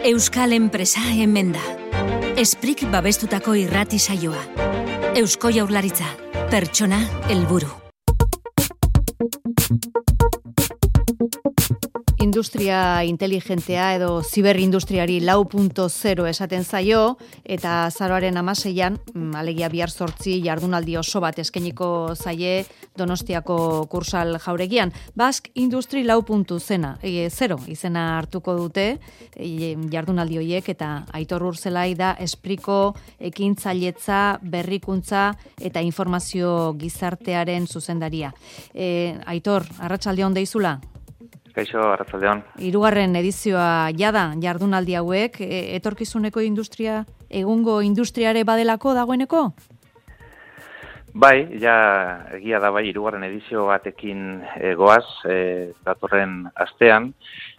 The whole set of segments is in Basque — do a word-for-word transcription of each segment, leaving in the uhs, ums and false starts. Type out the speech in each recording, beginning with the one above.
Euskal enpresa hemen da. Esprik babestutako irrati saioa. Eusko Jaurlaritza, pertsona helburu. Industria inteligentea edo ziberindustriari lau puntu zero esaten zaio, eta azaroaren hamaseian, alegia bihar zortzi jardunaldi oso bat eskainiko zaie Donostiako Kursal jauregian. Basque Industry lau puntu zero izena hartuko dute e, jardunaldi horiek, eta Aitor Urzelai da Espriko ekintzailetza, berrikuntza eta informazio gizartearen zuzendaria. E, Aitor, arratsaldeon deizula? Kaixo, arratsaldeon. Hirugarren edizioa jada jardunaldi hauek, e, etorkizuneko industria, egungo industriare badelako dagoeneko? Bai, ja egia da bai, hirugarren edizio batekin e, goaz, e, datorren astean,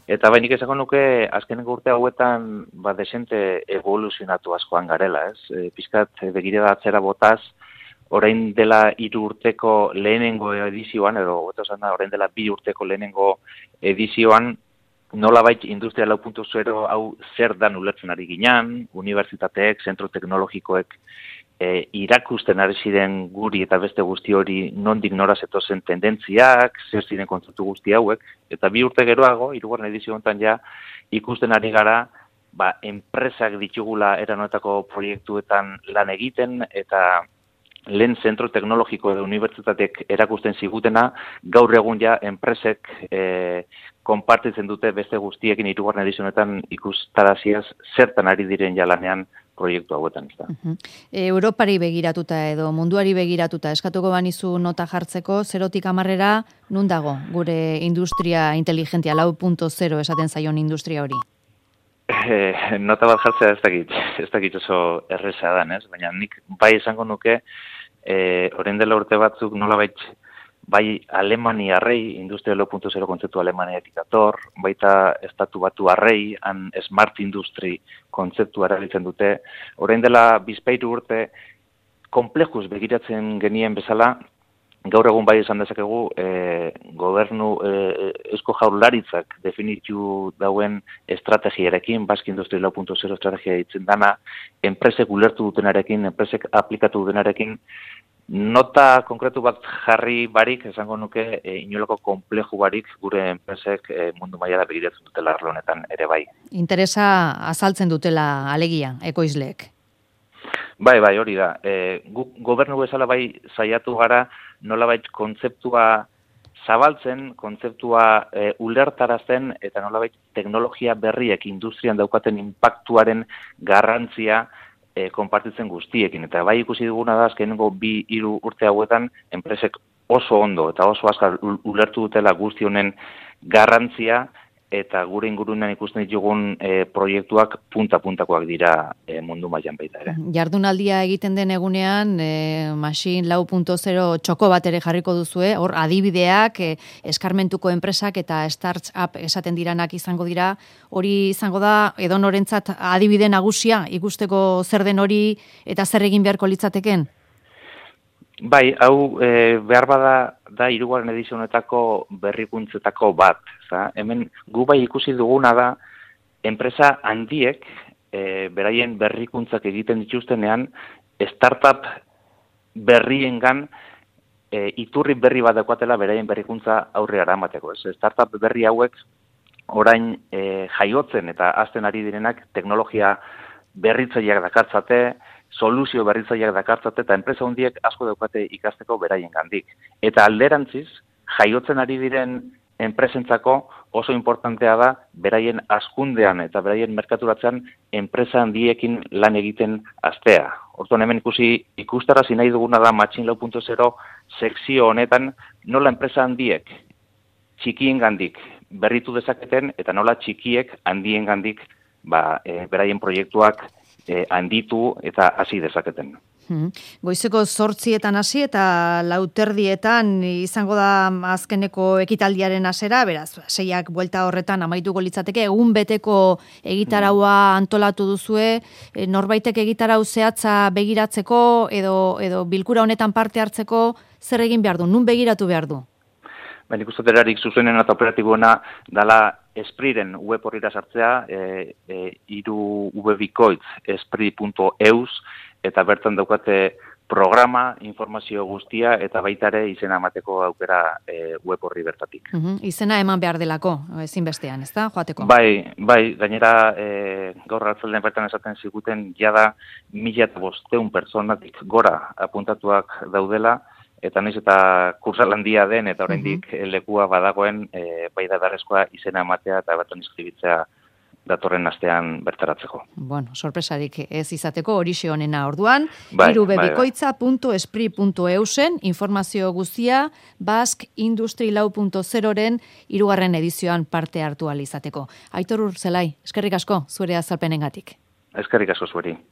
eta bai nik esako nuke azkeneko urte hauetan ba desente evoluzionatu askoan garela, ez? E, pizkat begirada atzera botaz, orain dela hiru urteko lehenengo edizioan, edo hobeto esanda orain dela bi urteko lehenengo edizioan, nolabait industria lau puntu zero hau zer dan ulertzen ari ginen, unibertsitateek, zentro teknologikoek e, irakusten ari ziren guri eta beste guzti hori nondik nora zetozen tendentziak, zer ziren kontzeptu guzti hauek, eta bi urte geroago, hirugarren edizio honetan ja, ikusten ari gara, ba, enpresak ditugula eranotako proiektuetan lan egiten, eta lehen zentro teknologiko edo unibertsitateek erakusten zigutena, gaur egun ja enpresek e, konpartitzen dute beste guztiekin hirugarren edizionetan ikustaraziaz zertan ari diren jalanean proiektu hauetan. Uh-huh. Europari begiratuta edo munduari begiratuta eskatuko banizu nota jartzeko, zerotik hamarrera nun dago gure industria inteligentia, lau puntu zero esaten zaion industria hori? E, nota bat jartzea ez dakit, ez dakit oso erreza dan, ez? Baina nik bai esango nuke, e, orain dela urte batzuk nolabait bai Alemaniarrei, industria lau puntu zero kontzeptu Alemaniatik dator, baita estatu batu arrei, han smart industry kontzeptu erabiltzen dute. Orain dela bizpairu urte komplejuz begiratzen genien bezala, gaur egun bai esan dezakegu, e, gobernu e, Eusko Jaurlaritzak definitu dauen estrategiarekin, Basque Industry lau puntu zero estrategia ditzen dana, enpresek ulertu dutenarekin, enpresek aplikatu dutenarekin, nota konkretu bat jarri barik, esango nuke, e, inolako kompleju barik gure enpresek e, mundu mailara begiratzen dutela arlo honetan ere bai. Interesa azaltzen dutela alegia, ekoizleek. Bai, bai, hori da. E, gu, gobernu bezala bai saiatu gara nolabait kontzeptua zabaltzen, kontzeptua e, ulertarazten, eta nolabait teknologia berriek industrian daukaten impactuaren garrantzia e, konpartitzen guztiekin. Eta bai ikusi duguna da, azkenengo bi hiru urte hauetan, enpresek oso ondo eta oso azkar ulertu dutela guzti honen garrantzia, eta gure ingurunean ikusten ditugun e, proiektuak punta-puntakoak dira e, mundu mailan baita ere. Jardunaldia egiten den egunean, e, Machine lau puntu zero txoko bat ere jarriko duzue, hor adibideak, e, eskarmentuko enpresak eta startup esaten diranak izango dira, hori izango da edonorentzat adibide nagusia, ikusteko zer den hori eta zer egin beharko litzateken? Bai, hau e, behar bada da hirugarren edizio honetako berrikuntzetako bat. Za? Hemen gu bai ikusi duguna da enpresa handiek e, beraien berrikuntzak egiten dituztenean startup berriengan e, iturri berri bat daukatela beraien berrikuntza aurrera eramateko. Ez? Startup berri hauek orain e, jaiotzen eta hazten ari direnak teknologia berritzaileak dakartzate, soluzio berritzaileak dakartzate, eta enpresa handiek asko daukate ikasteko beraien gandik. Eta alderantziz, jaiotzen ari diren enpresentzako oso importantea da beraien hazkundean eta beraien merkaturatzean enpresa handiekin lan egiten hastea. Orduan hemen ikusi ikustarazi nahi duguna da Machine lau puntu zero sekzio honetan nola enpresa handiek txikiengandik berritu dezaketen eta nola txikiek handiengandik ba, e, beraien proiektuak e, handitu eta hasi dezaketen. Hmm. Goizeko zortzietan hasi eta lauterdietan izango da azkeneko ekitaldiaren hasera, beraz, seiak buelta horretan amaituko litzateke, egun beteko egitaraua antolatu duzue, e, norbaitek egitarau zehatza begiratzeko edo, edo bilkura honetan parte hartzeko zer egin behar du, nun begiratu behar du? Baina ikustoterarik zuzenen eta operatiboena dala Espriren web horrira sartzea, e, e, iru webikoitz esprit punto eus, eta bertan daukate programa, informazio guztia, eta baita ere izena emateko aukera e, web horri bertatik. Uhum, izena eman behar delako, ezinbestean, ez da, joateko? Bai, bai, gainera e, gaur arratsaldean bertan esaten ziguten jada mila eta bosteun pertsonatik gora apuntatuak daudela, eta naiz eta kursalandia den, eta oraindik uh-huh. lekua badagoen e, bai da beharrezkoa izena ematea eta bertan inskribitzea datorren astean bertaratzeko. Bueno, sorpresarik ez izateko horixe honena orduan, bai, irubebikoitza punto esprit punto eusen informazio guztia Basque Industry lau puntu zeroren hirugarren edizioan parte hartu ahal izateko. Aitor Urzelai, eskerrik asko zure azalpenengatik. Eskerrik asko zueri.